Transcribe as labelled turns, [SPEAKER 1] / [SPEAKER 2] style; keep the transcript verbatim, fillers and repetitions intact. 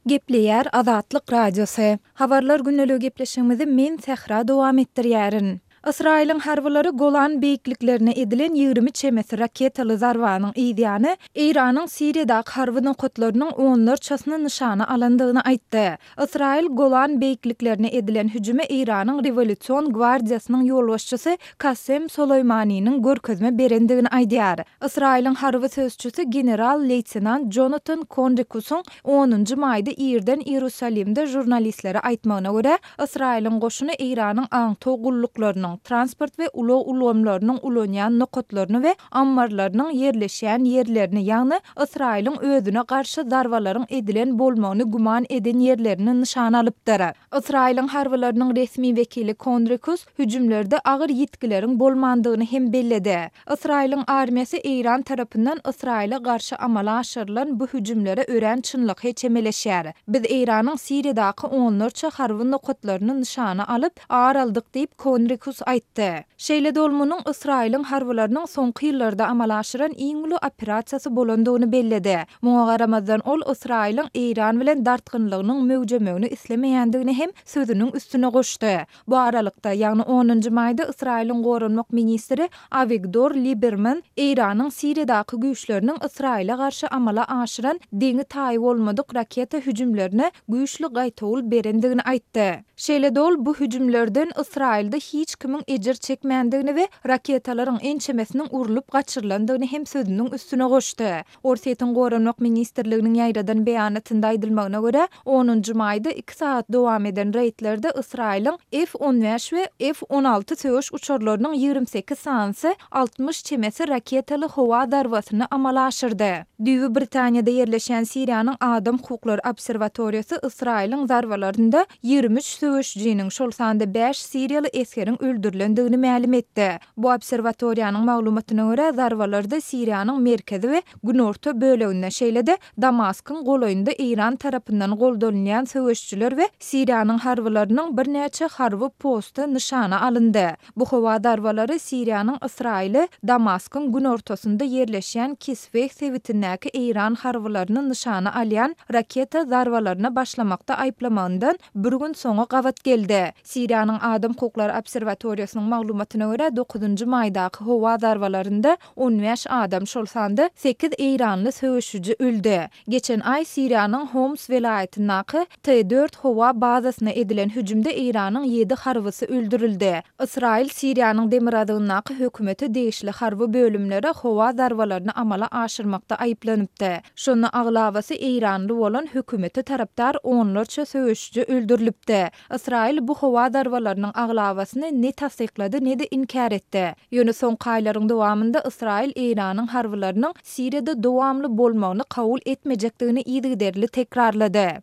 [SPEAKER 1] Gepleýär Azatlyk Radiosy. Habarlar gündeligi gepleşigimizi men Sähra dowam etdirýärin. Ysraýylyň harbylary Golan beýikliklerine edilen ýigrimi çemesi raketaly zarbanyň yzýany Eýranyň Siriýadaky harby nokatlarynyň onlarçasyny nyşana alandygyny aýtdy. Ysraýyl Golan beýikliklerine edilen hüjüme Eýranyň Rewolýusion gwardiýasynyň ýolbaşçysy Kasem Soleýmaniniň görkezme berendigini aýdýar. Ysraýylyň harby sözçüsi general-leýtenant Jonatan Konrikusyň onunjy maýda irden Iýerusalimde žurnalistlere aýtmagyna görä, Ysraýylyň goşuny Eýranyň aňtaw gulluklarynyň, transport we ulag ulgamlarynyň ulanýan nokatlaryny we ammarlarynyň ýerleşýän ýerlerini, ýagny Ysraýylyň özüne garşy zarbalaryň edilen bolmagyny güman eden ýerlerini nyşana alypdyr. Ysraýylyň harbylarynyň resmi wekili Konrikus hüjümlerde agyr ýitgileriň bolmandygyny hem belledi. Ysraýylyň armiýasy Eýran tarapyndan Ysraýyla garşy amala aşyrylan bu hüjümlere örän çynlakaý çemeleşýär. Biz Eýranyň Siriýadaky onlarça harby nokatlaryny nyşana alyp, ar aldyk diýip, Konrikus aýtdy. Şeýle-de ol munuň Ysraýylyň harbylarynyň soňky ýyllarda amala aşyran iň uly operasiýasy bolandygyny belledi. Muňa garamazdan, ol Ysraýylyň Eýran bilen dartgynlygynyň möwjemegini islemeýändigini hem sözüniň üstüne goşdy. Bu aralykda, ýagny onunjy maýda Ysraýylyň goranmak ministri Awigdor Liberman Eýranyň Siriýadaky güýçleriniň Ysraýyla garşy amala aşyran deňi-taýy bolmadyk raketa hüjümlerine güýçli gaýtawul berendigini aýtdy. Şeýle-de ol bu hüjümlerden Ysraýylda hiç kimiň ejir çekmändigini we raketalaryň ençemesiniň urlup gaçyrylandygyny hem sözüniň üstüne goşdy. Orsýetiň Goranmak ministrliginiň ýaýradan beýanatynda aýdylmagyna görä, onunjy maýda iki sagat dowam eden reýdlerde Ysraýylyň F on bäş we F on alty söweş uçarlarynyň ýigrimi sekiz sanysy altmyş çemesi raketaly howa zarbasyny amala aşyrdy. Düýbi Britaniýada ýerleşýän Siriýanyň Adam hukuklary obserwatoriýasy Ysraýylyň zarbalarynda ýigrimi üç söweşijiniň, şol sanda bäş siriýaly esgeriň öldürilendigini mälim etdi. Bu obserwatoriýanyň maglumatyna görä, zarbalarda Siriýanyň merkezi we günorta böleginde, şeýle-de Damaskyň golaýynda Eýran tarapyndan goldanylýan söweşijiler we Siriýanyň harbylarynyň birnäçe harby posty nyşana alyndy. Bu howa zarbalary Siriýanyň Ysraýyly Damaskyň günortasynda ýerleşýän Kisweh sebitindäki Eýran harbylaryny nyşana alýan raketa zarbalaryna başlamakda aýyplamagyndan bir gün soňa gabat geldi. Siriýanyň Adam hukuklary obserwatoriýasynyň maglumatyna görä, dokuzynjy maýdaky howa zarbalarynda on bäş adam, şol sanda sekiz eýranly söweşiji öldi. Geçen aý Siriýanyň Homs welaýatyndaky T dört howa bazasyna edilen hüjümde Eýranyň ýedi harbysy öldürildi. Ysraýyl Siriýanyň demirgazygyndaky hökümete degişli harby bölümlere howa zarbalaryny amala aşyrmakda aýyplanypdy. Şonda aglabasy eýranly bolan hökümete tarapdar onlarça söweşiji öldürilipdi. Ysraýyl bu howa zarbalarynyň aglabasyny ne tassyklady, ne-de inkär etdi. Ýöne soňky aýlaryň dowamynda Ysraýyl Eýranyň harbylarynyň Siriýada dowamly bolmagyny kabul etmejekdigini yzygiderli tekrarlady.